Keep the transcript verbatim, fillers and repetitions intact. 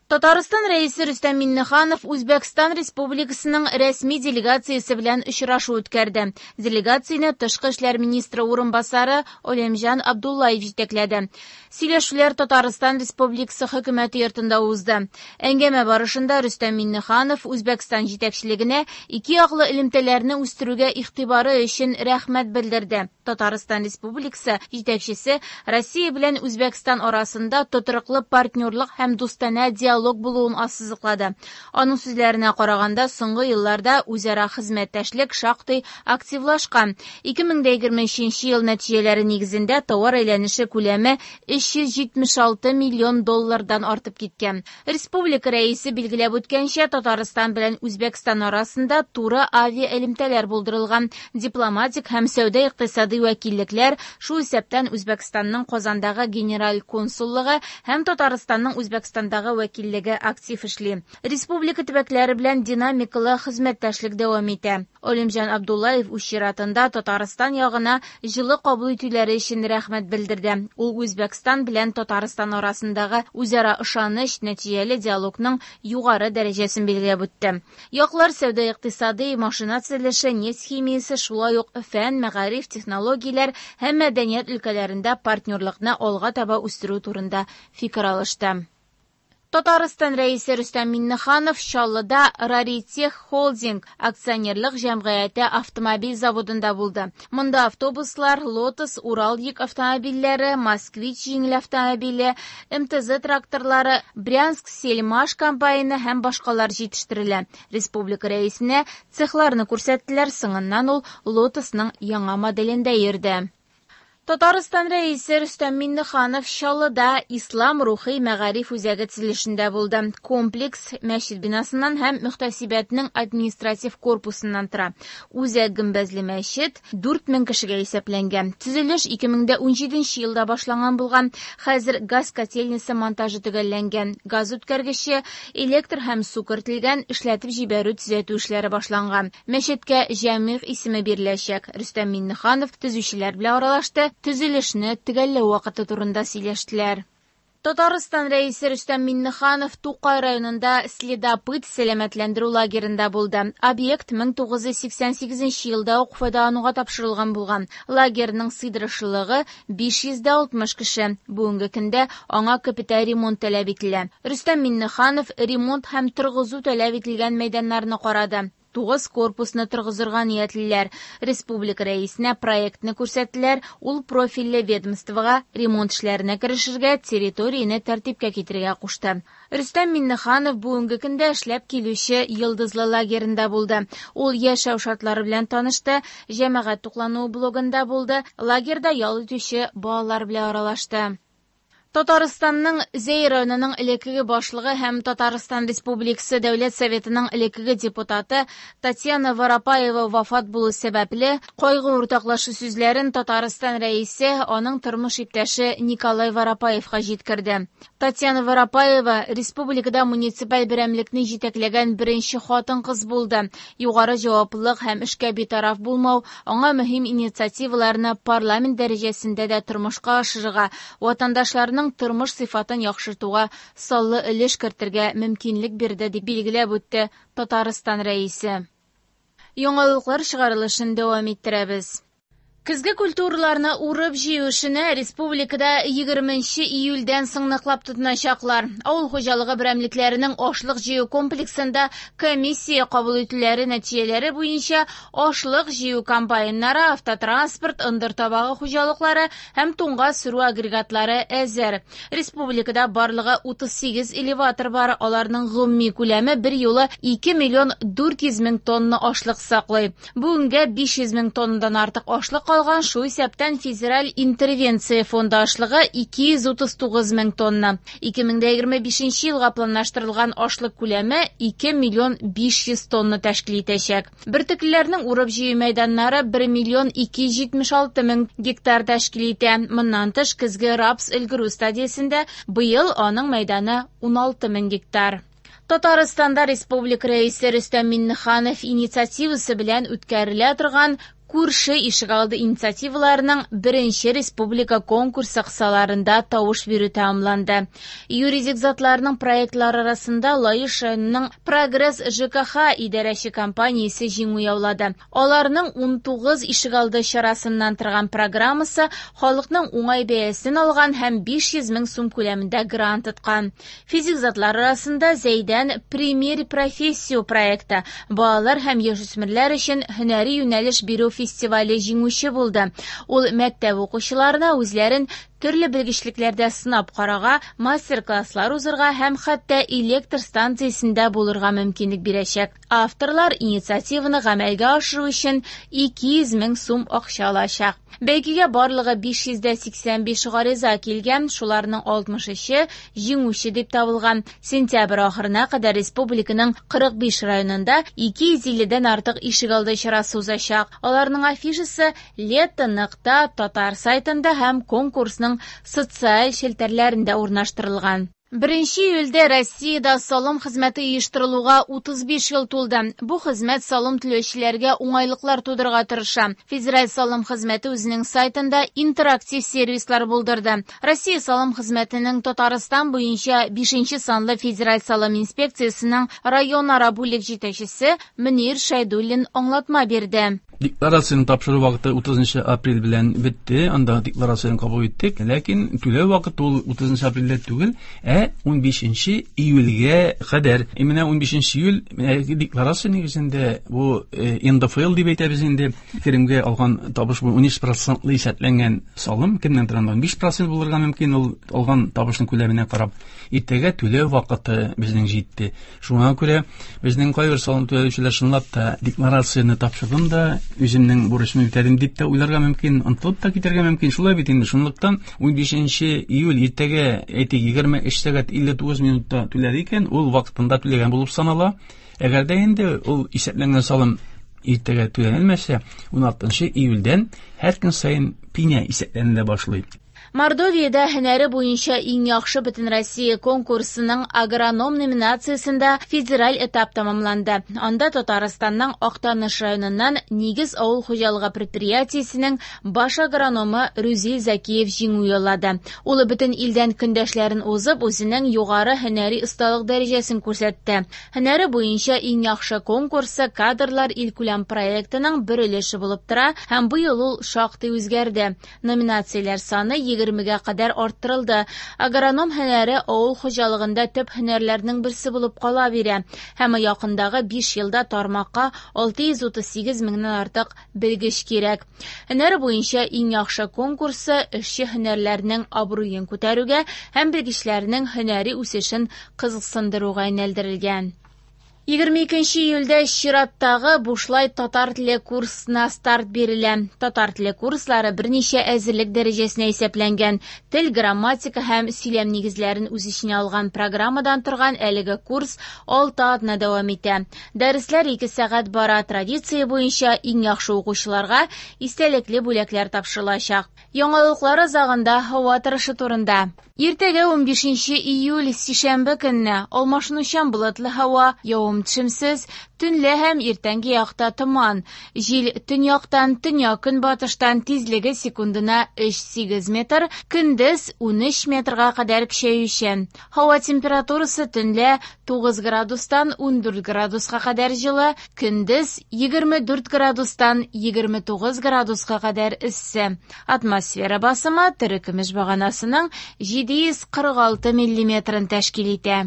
Татарстан Рәисе Рөстәм Миңнеханов Үзбәкстан Республикасының рәсми делегациясе белән очрашу үткәрде. Делегацияне Тышкы эшләр министры урынбасары Олимҗан Абдуллаев җитәкләде. Сөйләшүләр Татарстан Республикасы хөкүмәте йортында узды. Әңгәмә барышында Рөстәм Миңнеханов Үзбәкстан җитәкчелегенә ике яклы элемтәләрне үстерүгә игътибары өчен рәхмәт белдерде. Татарстан Республикасы җитәкчесе Россия белән Үзбәкстан арасында тотрыклы партнерлык һәм дустанә диалог булуын ассызыклады. Аның сүзләренә караганда, соңгы елларда үзара хезмәттәшлек шактый активлашкан. ике мең дә егерме өченче ел нәтиҗәләре нигезендә товар әйләнеше күләме өч йөз җитмеш алты миллион доллардан артып киткән. Республика рәисе билгеләп үткәнчә, Татарстан белән Үзбәкстан арасында туры авиаэлемтәләр булдырылган. Дипломатик һәм сәүдә-икътисади вәкиллекләр, шул исәптән Үзбәкстанның Казандагы генераль консуллыгы һәм Татарстанның Үзбәкстандагы вәкиллеге актив эшли. Республика төбәкләре белән динамикалы хезмәттәшлек дәвам итә. Олимҗан Абдуллаев үз чиратында Татарстан ягына җылы кабул итүләре өчен рәхмәт белдерде. Ул Үзбәкстан белән Татарстан арасындагы үзара ышаныч, нәтиҗәле диалогның югары дәрәҗәсен билгеләп үтте. Яклар сәүдә-икътисади, машина төзелеше, нефть химиясе, шулай ук фән, мәгариф, технологияләр һәм мәдәният өлкәләрендә партнерлыкны алга таба үстерү турында фикер алышты. Татарстан Рәисе Рөстәм Миңнеханов Чаллыда Раритех Холдинг акционерлык җәмгыяте автомобиль заводында булды. Монда автобуслар, Лотос, Урал йөк автомобильләре, Москвич җиңел автомобиле, эм тэ зэ тракторлары, Брянск Сельмаш комбайны һәм башкалар җитештерелә. Республика рәисенә цехларны күрсәттеләр, соңыннан ул Лотосның яңа моделендә йөрде. Татарстан Рәисе Рөстәм Миңнеханов Чаллыда Ислам рухи мәгариф үзәге төзелешендә булды. Комплекс мәчет бинасыннан һәм мөхтәсибәтнең административ корпусыннан тора. Үзәк гөмбәзле мәчет дүрт мең кешегә исәпләнгән. Төзелеш ике мең дә унҗиденче елда башланган булган. Хәзер газ котельнясы монтажы төгәлләнгән. Газ үткәргече, электр һәм су кертелгән, эшләтеп җибәрү төзәтү эшләре башланган. Мәчеткә Җәмигъ исеме биреләчәк. Рөстәм Миңнеханов төзүчеләр белән аралашты. Төзелешне төгәлләү вакыты турында сөйләштеләр. Татарстан Рәисе Рөстәм Миңнеханов Тукай районында Следопыт сәламәтләндерү лагерында булды. Объект мең тугыз йөз сиксән сигезенче елда ук файдалануга тапшырылган булган. Лагерның сыйдырышлылыгы биш йөз дә алтмыш кеше. Бүгенге көндә аңа капиталь ремонт таләп ителә. Рөстәм Миңнеханов ремонт һәм торгызу таләп ителгән мәйданнарны карады. Тугыз корпусны торгызырга ниятлиләр. Республика рәисенә проектны күрсәттеләр. Ул профильле ведомствога ремонт эшләренә керешергә, территорияне тәртипкә китерергә кушты. Рөстәм Миңнеханов бүгенге көндә эшләп килүче Йолдызлы лагерында булды. Ул яшәү шартлары белән танышты, җәмәгать туклануы блогында булды, лагерьда ял итүче балалар белән аралашты. Татарстанның Зәй районының элеккеге башлыгы һәм Татарстан Республикасы Дәүләт Советының элеккеге депутаты Татьяна Воропаева вафат булу сәбәпле кайгы уртаклашу сүзләрен Татарстан рәисе аның тормыш иптәше Николай Воропаевка җиткерде. Татьяна Воропаева республикада муниципаль берәмлекне җитәкләгән беренче хатын-кыз булды. Югары җаваплылык һәм эшкә битараф булмау аңа мөһим инициативаларны парламент дәрәҗәсендә дә тормышка ашырырга, ватандашларның тормыш сыйфатын яхшыртуга саллы өлеш кертергә мөмкинлек бирде, дип билгеләп үтте Татарстан рәисе. Яңалыклар чыгарылышын дәвам иттерәбез. Көзге культураларны урып җыю эшенә республикада егерменче июльдән соң ныклап тотыначаклар. Авыл хуҗалыгы берәмлекләренең ашлык җыю комплексында комиссия кабул итүләре нәтиҗәләре буенча ашлык җыю комбайннары, автотранспорт, ындыр табагы хуҗалыклары һәм туңга сөрү агрегатлары әзер. Республикада барлыгы утыз сигез элеватор бар, аларның гомуми күләме бер юлы ике миллион дүрт йөз мең тонна ашлык саклый. Бүгенгә биш йөз мең тоннадан артык ашлык калган, шул исәптән федераль интервенция фонды ашлыгы ике йөз утыз тугыз мең тонна. Ике мең дә егерме бишенче елга планлаштырылган ашлык күләме ике миллион биш йөз тонна тәшкил итәчәк. Бөртеклеләрнең урып җыю мәйданнары бер миллион ике йөз җитмеш алты мең гектар тәшкил итә. Моннан тыш, көзге рапс өлгерү стадиясендә быел аның мәйданы уналты мең гектар. Татарстанда республика рәисе Рөстәм Миңнеханов инициативасы белән үткәрелә торган Күрше ишегалды инициативаларының беренче республика конкурсы кысаларында тавыш бирү тәмамланды. Юридик затларның проектлары арасында Лаеш районының Прогресс Ж К Х идарәче компаниясе җиңү яулады. Аларның унтугыз ишегалды чарасыннан торган программасы халыкның уңай бәясен алган һәм биш йөз мең сум күләмендә грант откан. Физик затлар арасында Зәйдән «Примерь профессию» проекты, балалар һәм яшүсмерләр өчен һөнәри юнәлеш бирү фестивале җиңүче булды. Ул мәктәп укучыларына үзләрен төрле белгечлекләрдә сынап карарга, мастер-класслар узырга һәм хәтта электр станциясендә булырга мөмкинлек бирәчәк. Авторлар инициативаны гамәлгә ашыру өчен ике йөз мең сум акча алачак. Бәйгегә барлыгы биш йөз сиксән биш гариза килгән, шуларның алтмыш өче җиңүче дип табылган. Сентябрь ахырына кадәр республиканың кырык биш районында ике йөз илледән артык ишегалды чарасы узачак. Аларның афишасы лето нокта татар сайтында һәм конкурсның социаль челтәрләрендә урнаштырылган. Беренче июльдә Россиядә салым хезмәте оештырылуга утыз биш ел тулды. Бу хезмәт салым түләүчеләргә уңайлыклар тудырырга тырыша. Федераль салым хезмәте үзенең сайтында интерактив сервислар булдырды. Россия салым хезмәтенең Татарстан буенча бишенче санлы федераль салым инспекциясенең районара бүлек җитәкчесе Мөнир Шәйдуллин аңлатма бирде. Декларацияне тапшыру вакыты утызынчы апрель белән бетте, анда декларацияне кабул иттек. Ләкин түләү вакыты ул утызынчы апрельдә түгел, ә унбишенче июльгә кадәр. И менә унбишенче июль декларация нигезендә бу Н Д Ф Л дип әйтәбез инде, керемгә алган табыш бу унөч процентлы исәпләнгән салым, кемнән анда унбиш процент булырга мөмкин, ул алган табышның күләменә карап. Иртәгә түләү вакыты безнең җитте. Шуңа күрә безнең кайбер салым түләүчеләр чынлап та декларацияне тапшырдым да, үземнең бурычымны үтәдем дип тә уйларга мөмкин, онытылып та китәргә мөмкин. Шулай бит инде. Шунлыктан унбишенче июль иртәгә, әйтик, егерме өч сәгать илле тугыз минутта түләде икән, ул вакытында түләгән булып санала. Әгәр дә инде ул исәпләнгән салым иртәгә түләнмәсә, уналтынчы июльдән һәр көн саен пеня исәпләнелә башлый. Мордовиядә һөнәре буенча иң яхшы Бөтенроссия конкурсының агроном номинациясендә федераль этап тәмамланды. Анда Татарстанның Актаныш районыннан Нигез авыл хуҗалыгы предприятиесенең баш агрономы Рүзил Закиев җиңү яулады. Ул бөтен илдән көндәшләрен узып, үзенең югары һөнәри осталык дәрәҗәсен күрсәтте. Һөнәре буенча иң яхшы конкурсы кадрлар илкүләм проектының бер өлеше булып тора һәм быел ул шактый үзгәрде. Номинацияләр саны егермегә кадәр арттырылды. Агроном һөнәре авыл хуҗалыгында төп һөнәрләрнең берсе булып кала бирә һәм якындагы биш елда тармакка алты йөз утыз сигез меңнән артык белгеч кирәк. Һөнәре буенча иң яхшы конкурсы эшче һөнәрләрнең абруен күтәрүгә һәм белгечләрнең һөнәри үсешен кызыксындыруга юнәлдерелгән. егерме икенче июльдә чираттагы бушлай татар теле курсына старт бирелә. Татар теле курслары берничә әзерлек дәрәҗәсенә исәпләнгән. Тел, грамматика һәм сөйләм нигезләрен үз эченә алган программадан торган әлеге курс алты атна дәвам итә. Дәресләр ике сәгать бара. Традиция буенча иң яхшы укучыларга истәлекле бүләкләр тапшырылачак. Яңалыклар азагында һава торышы турында. Иртәгә унбишенче июль сишәмбе көнне алмашынучан болытлы һава, явым-төшемсез, төнлә һәм иртәнге якта томан. Җил төньяктан, төньяк-көнбатыштан, тизлеге секундына өч сигез метр, көндез унөч метрга кадәр көчәючән. Һава температурасы төнлә тугыз градустан ундүрт градуска кадәр җылы, көндез егерме дүрт градустан егерме тугыз градуска кадәр эссе. Атмосфера басымы терекөмеш баганасының җиде йөз кырык алты миллиметрын тәшкил итә.